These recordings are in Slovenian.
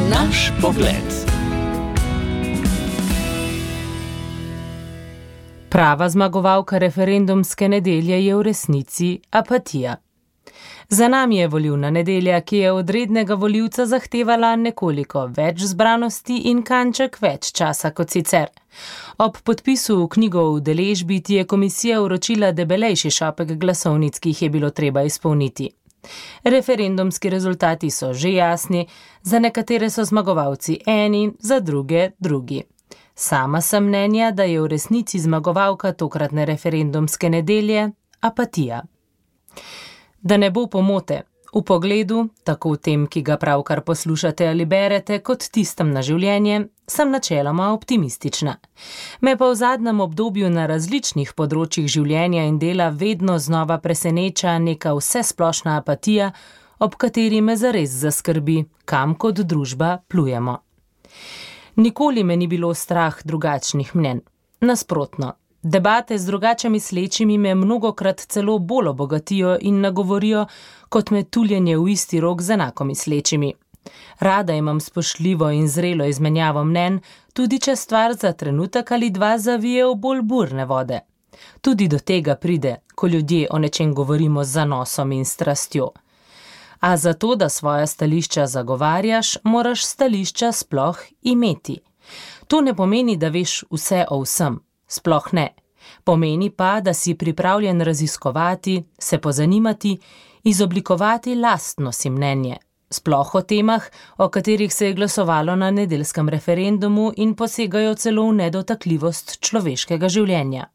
Naš pogled. Prava zmagovalka referendumske nedelje je v resnici apatija. Za nami je volilna nedelja, ki je od rednega volivca zahtevala nekoliko več zbranosti in kanček več časa kot sicer. Ob podpisu v knjigo o udeležbi ti je komisija vročila debelejši šopek glasovnic, ki jih je bilo treba izpolniti. Referendumski rezultati so že jasni, za nekatere so zmagovalci eni, za druge drugi. Sama sem mnenja, da je v resnici zmagovalka tokratne referendumske nedelje apatija. Da ne bo pomote, v pogledu, tako v tem, ki ga pravkar poslušate ali berete, kot tistem na življenje, sem načeloma optimistična. Me pa v zadnjem obdobju na različnih področjih življenja in dela vedno znova preseneča neka vsesplošna apatija, ob kateri me zares zaskrbi, kam kot družba plujemo. Nikoli me ni bilo strah drugačnih mnenj. Nasprotno, debate z drugače mislečimi me mnogokrat celo bolj obogatijo in nagovorijo, kot me tuljenje v isti rok z enako mislečimi. Rada imam spoštljivo in zrelo izmenjavo mnenj, tudi če stvar za trenutek ali dva zavije v bolj burne vode. Tudi do tega pride, ko ljudje o nečem govorimo z zanosom in strastjo. A zato, da svoja stališča zagovarjaš, moraš stališča sploh imeti. To ne pomeni, da veš vse o vsem. Sploh ne. Pomeni pa, da si pripravljen raziskovati, se pozanimati, izoblikovati lastno si mnenje. Sploh o temah, o katerih se je glasovalo na nedeljskem referendumu in posegajo celo v nedotakljivost človeškega življenja.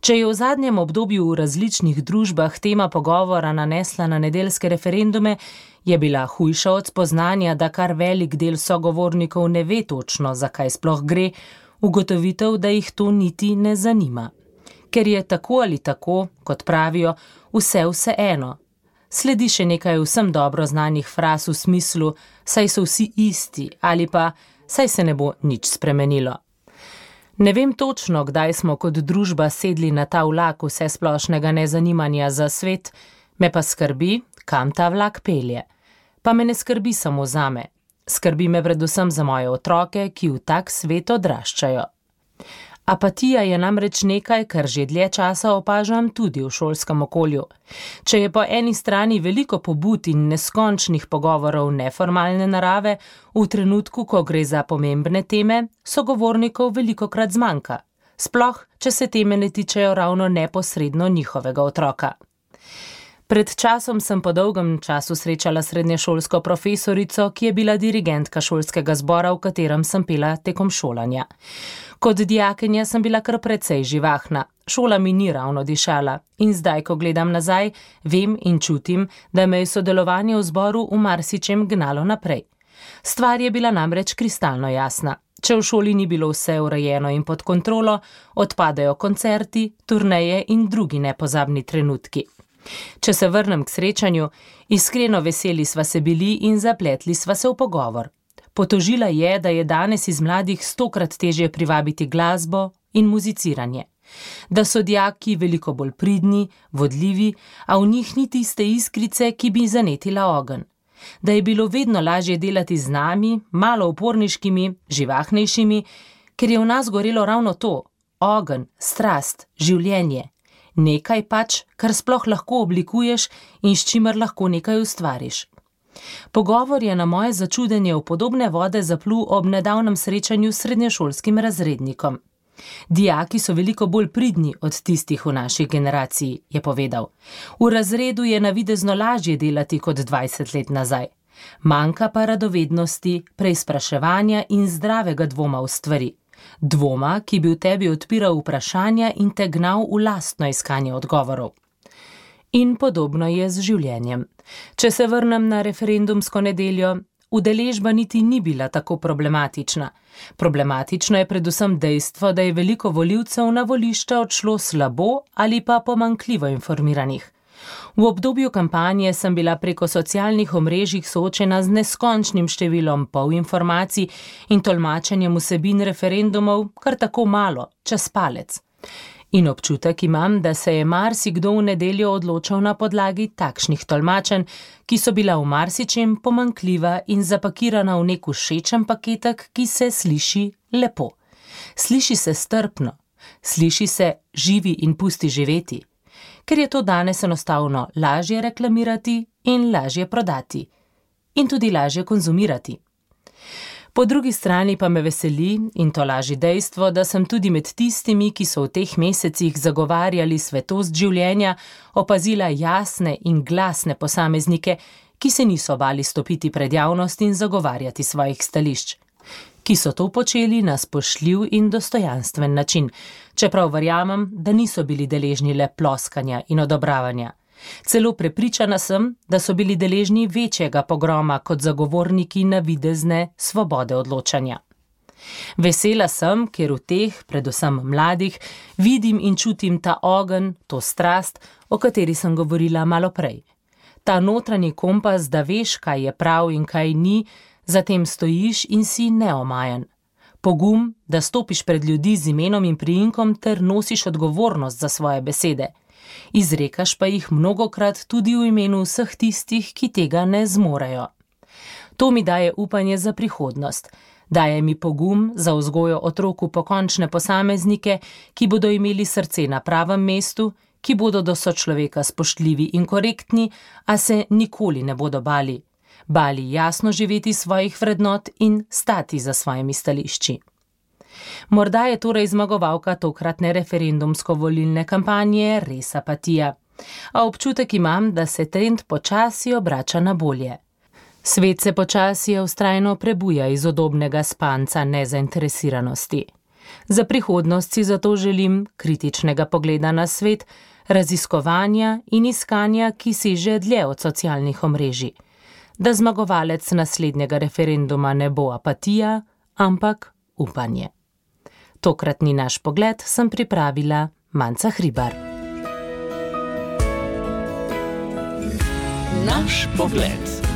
Če je v zadnjem obdobju v različnih družbah tema pogovora nanesla na nedeljske referendume, je bila hujša od spoznanja, da kar velik del sogovornikov ne ve točno, zakaj sploh gre, ugotovitev, da jih to niti ne zanima. Ker je tako ali tako, kot pravijo, vseeno. Sledi še nekaj vsem dobro znanih fraz v smislu, saj so vsi isti ali pa saj se ne bo nič spremenilo. Ne vem točno, kdaj smo kot družba sedli na ta vlak vsesplošnega nezanimanja za svet, me pa skrbi, kam ta vlak pelje. Pa me ne skrbi samo zame. Skrbi me predvsem za moje otroke, ki v tak svet odraščajo. Apatija je namreč nekaj, kar že dlje časa opažam tudi v šolskem okolju. Če je po eni strani veliko pobud in neskončnih pogovorov neformalne narave, v trenutku, ko gre za pomembne teme, sogovornikov velikokrat zmanjka. Sploh, če se teme ne tičejo ravno neposredno njihovega otroka. Pred časom sem po dolgem času srečala srednješolsko profesorico, ki je bila dirigentka šolskega zbora, v katerem sem pela tekom šolanja. Kot dijakinja sem bila kar precej živahna, šola mi ni ravno dišala in zdaj, ko gledam nazaj, vem in čutim, da me je sodelovanje v zboru v marsičem gnalo naprej. Stvar je bila namreč kristalno jasna. Če v šoli ni bilo vse urejeno in pod kontrolo, odpadajo koncerti, turneje in drugi nepozabni trenutki. Če se vrnem k srečanju, iskreno veseli sva se bili in zapletli sva se v pogovor. Potožila je, da je danes iz mladih 100-krat težje privabiti glasbo in muziciranje. Da so dijaki veliko bolj pridni, vodljivi, a v njih ni tiste iskrice, ki bi zanetila ogenj. Da je bilo vedno lažje delati z nami, malo uporniškimi, živahnejšimi, ker je v nas gorelo ravno to, ogenj, strast, življenje. Nekaj pač, kar sploh lahko oblikuješ in s čimer lahko nekaj ustvariš. Pogovor je na moje začudenje v podobne vode zaplul ob nedavnem srečanju s srednješolskim razrednikom. Dijaki so veliko bolj pridni od tistih v naši generaciji, je povedal. V razredu je navidezno lažje delati kot 20 let nazaj. Manjka pa radovednosti, preizpraševanja in zdravega dvoma v stvari. Dvoma, ki bi v tebi odpiral vprašanja in te gnal v lastno iskanje odgovorov. In podobno je z življenjem. Če se vrnem na referendumsko nedeljo, udeležba niti ni bila tako problematična. Problematično je predvsem dejstvo, da je veliko volivcev na volišča odšlo slabo ali pa pomanjkljivo informiranih. V obdobju kampanje sem bila preko socialnih omrežij soočena z neskončnim številom polinformacij in tolmačenjem vsebin referendumov kar tako malo, čez palec. In občutek imam, da se je marsikdo v nedeljo odločal na podlagi takšnih tolmačenj, ki so bila v marsičem pomanjkljiva in zapakirana v nek všečen paketek, ki se sliši lepo. Sliši se strpno, sliši se živi in pusti živeti, ker je to danes enostavno lažje reklamirati in lažje prodati. In tudi lažje konzumirati. Po drugi strani pa me veseli, in to laži dejstvo, da sem tudi med tistimi, ki so v teh mesecih zagovarjali svetost življenja, opazila jasne in glasne posameznike, ki se niso bali stopiti pred javnost in zagovarjati svojih stališč, ki so to počeli na spoštljiv in dostojanstven način, čeprav verjamem, da niso bili deležni le ploskanja in odobravanja. Celo prepričana sem, da so bili deležni večjega pogroma kot zagovorniki navidezne svobode odločanja. Vesela sem, ker v teh, predvsem mladih, vidim in čutim ta ogenj, to strast, o kateri sem govorila malo prej. Ta notranji kompas, da veš, kaj je prav in kaj ni, zatem stojiš in si neomajen. Pogum, da stopiš pred ljudi z imenom in priimkom ter nosiš odgovornost za svoje besede. Izrekaš pa jih mnogokrat tudi v imenu vseh tistih, ki tega ne zmorejo. To mi daje upanje za prihodnost, daje mi pogum za vzgojo otrok v pokončne posameznike, ki bodo imeli srce na pravem mestu, ki bodo do sočloveka spoštljivi in korektni, a se nikoli ne bodo bali jasno živeti svojih vrednot in stati za svojimi stališči. Morda je torej zmagovalka tokratne referendumsko-volilne kampanje res apatija, a občutek imam, da se trend počasi obrača na bolje. Svet se počasi vztrajno prebuja iz udobnega spanca nezainteresiranosti. Za prihodnost si zato želim kritičnega pogleda na svet, raziskovanja in iskanja, ki seže dlje od socialnih omrežij. Da zmagovalec naslednjega referenduma ne bo apatija, ampak upanje. Tokratni naš pogled sem pripravila Manca Hribar. Naš pogled.